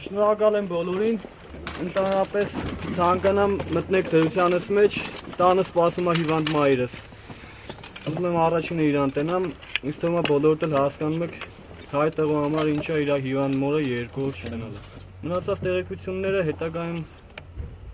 Շնորհակալ եմ բոլորին, ընդհանրապես ցանկանամ մտնեք դրությանս մեջ, տանը սպասում է հիվանդ մայրս։ Ուզում եմ առաջինը իրան տենամ, ինձ թվում է բոլորդ էլ հասկանում եք հայ տղու համար ինչ է իր հիվանդ մորը երկու օր չտենալը։ Մնացած տեղեկությունները հետագայում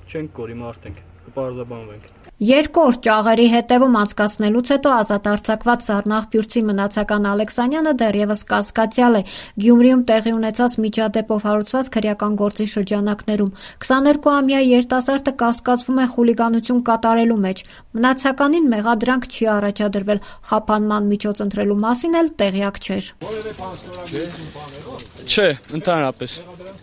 չենք կորի մարդենք, կպարզաբանվենք։ 2 օր ճաղերի հետևում անցկացնելուց հետո ազատ արձակված Զառնաղբյուրցի մնացական Ալեքսանյանը դեռևս կասկածյալ է Գյումրիում տեղի ունեցած միջադեպով հարուցված քրեական գործի շրջանակներում։ 22-ամյա երիտասարդը կասկածվում է խուլիգանություն կատարելու մեջ։ Մնացականին մեղադրանք չի առաջադրվել, խափանման միջոց ընտրելու մասին էլ տեղյակ չէր։ Չէ, ընդհանրապես։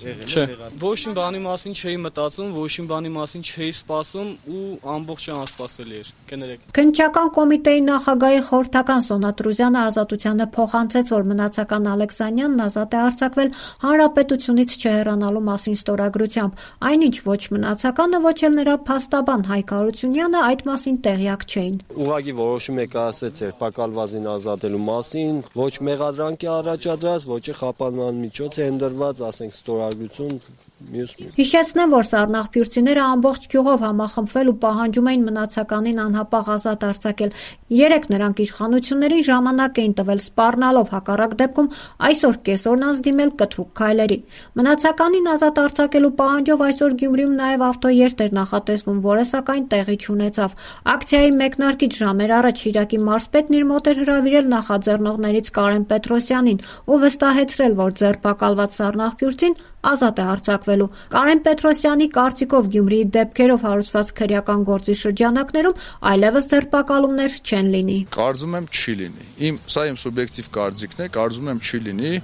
Չէ, ոչ մի բանի մասին չէի մտածում, ոչ մի բանի մասին չէի սպասում ու ամբողջը անսպասելի էր։ Կներեք։ Քննչական կոմիտեի նախագահի խորհրդական Սոնա Տրուզյանը ազատությանը փոխանցեց, որ մնացական Ալեքսանյանն ազատ է արձակվել հանրապետությունից չհեռանալու մասին ստորագրությամբ, այնինչ ոչ մնացականը, ոչ էլ նրա փաստաբան Հայկ Հարությունյանը այդ մասին տեղյակ չէին։ Ուղղակի որոշում է կայացրել ձերբակալվածին ազատելու մասին, ոչ մեղադրանք է առաջադրած, ոչ է խափանման միջոց է ընդրված, ասենք ստորագրություն մյուս։ Հիշեցնեմ, որ Զառնաղբյուրցիները ամբողջ գյուղով համախմբվել ու պահանջում էին մնացականին անհապաղ ազատ արձակել։ 3 նրանք իշխանություններին ժամանակ էին տվել սպառնալով, հակառակ դեպքում այսօր կեսօրն անց դիմել կտրուկ քայլերի։ Մնացականին ազատ արձակելու պահանջով այսօր Գյումրիում նաև ավտոերթ էր նախատեսվում, որը սակայն տեղի չունեցավ։ Ակցիայի մեկնարկից ժամեր առաջ Շիրակի մարզպետն իր մոտ էր հրավիրել նախաձեռնողներից Կարեն Պետրոսյանին ու վստահեցրել, որ ձերբակալված Զառնաղբյուրցին ազատ է արձակվելու։ Կարեն Պետրոսյանի կարծիքով Գյումրիի դեպքերով հարուցված քրեական գործի շրջանակներում այլևս ձերբակալումներ չեն լինի։ Կարծում եմ չի լինի։ Սա իմ սուբյեկտիվ կարծիքն է, կարծում եմ չի լինի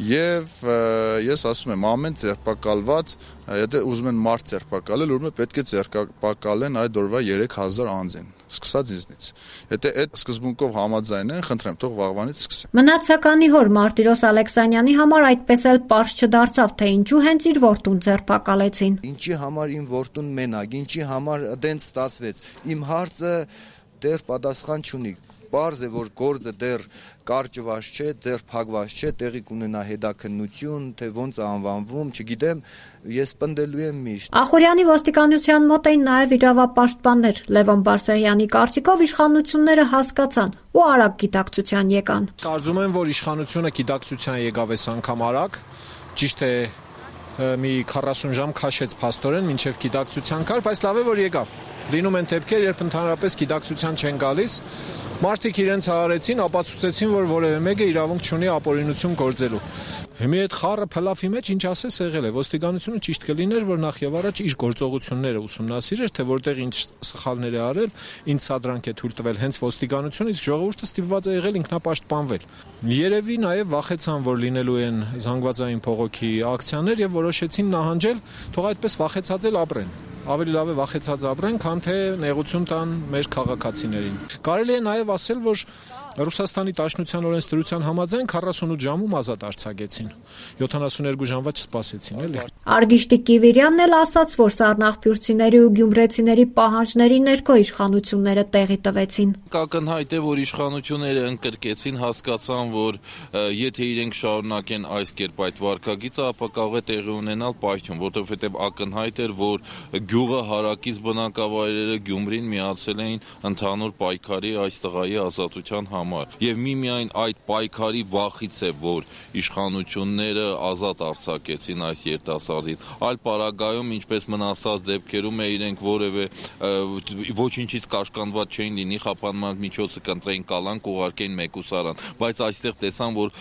եւ ես ասում եմ ամեն ձերբակալված, եթե ուզում են մարդ ձերբակալել, ուրեմն պետք է ձերբակալեն այդ օրվա 3000 անձին, սկսած ինձնից։ Եթե այդ սկզբունքով համաձայն են, խնդրեմ, թող վաղվանից սկսեն։ Մնացականի հոր Մարտիրոս Ալեքսանյանի համար այդպես էլ պարզ չդարձավ, թե ինչու հենց իր որդուն ձերբակալեցին։ Ինչի համար իմ որդուն մենակ, ինչի համար դենց ստացվեց։ Իմ հարցը դեռ պատասխան չունի։ Պարզ է, որ գործը դեռ կարճված չէ, դեռ փակված չէ, տեղի կունենա հետաքննություն, թե ոնց է անվանվում, չգիտեմ, ես պնդելու եմ միշտ։ Ախուրյանի ոստիկանության մոտ էին նաև իրավապաշտպաններ։ Լևոն Բարսեղյանի կարծիքով իշխանությունները հասկացան ու արագ գիտակցության եկան։ Կարծում եմ, որ իշխանությունը գիտակցության եկավ այս անգամ արագ, ճիշտ է մի 40 ժամ քաշեց փաստորեն մինչև գիտակցության կար, բայց լավ է որ եկավ։ Լինում են դեպքեր, երբ ընդհանրապես գիտակցության չեն գալիս, մարդիկ իրենց հարեցին, ապացուցեցին, որ որևէ մեկը իրավունք չունի ապօրինություն գործելու։ Հիմա այդ խառը փլավի մեջ ինչ ասես եղել է, ոստիկանությունը ճիշտ կլիներ, որ նախ եւ առաջ իր գործողությունները ուսումնասիրեր, թե որտեղ ինչ սխալներ է արել, ինչ սադրանք է թույլ տվել հենց ոստիկանությունը, իսկ ժողովուրդը ստիպված է եղել ինքնապաշտպանվել։ Երևի նաեւ վախեցան, որ լինելու են զանգվածային փողոքի ակցիաներ եւ որոշեցին նահանջել, թող այդպես վախեցած էլ ապրեն։ Ավելի լավ է վախեցած ապրեն, քան թե նեղություն տան մեր քաղաքացիներին։ Կարելի է նաև ասել, որ Ռուսաստանի Դաշնության օրենսդրության համաձայն 48 ժամում ազատ արձակեցին։ 72 ժամվա չսպասեցին, էլի։ Արգիշտիկ Կիվիրյանն էլ ասաց, որ Զառնաղբյուրցիների ու գյումրեցիների պահանջների ներքո իշխանությունները տեղի տվեցին։ Ակնհայտ է, որ իշխանությունները ընկրկեցին, հասկացան, որ եթե իրենք շարունակեն այս կերպ այդ վարքագիծը, ապա կարող է տեղի ունենալ պայթյուն, որովհետև ակնհայտ էր, որ գյուղը հարակից բնակավայրերը Գյումրին միացել էին ընդհանուր պայքարի այս տղայի ազատության համար։ Եվ միմիայն այդ պայքարի վախից է, որ իշխանությունները ազատ արձակեցին այս երիտասարդին։ Այլ պարագայում, ինչպես մնացած դեպքերում է, իրենք որևէ ոչինչից կաշկանդված չէին լինի, խափանման միջոցը կընտրեին կալանք, ուղարկեին մեկուսարան, բայց այստեղ տեսան, որ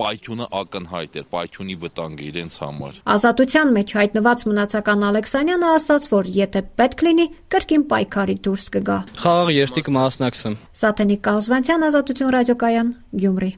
պայթյունը ակնհայտ էր, պայթյունի վտանգը իրենց համար։ Ազատության մեջ հայտնված մնացական Ալեքսանյանը ասաց, որ եթե պետք լինի, կրկին պայքարի դուրս կգա։ Խաղաղ երթի կմասնակցեմ։ Սաթենիկ Կազվանցյան, Ազատություն ռադիոկայան, Գյումրի։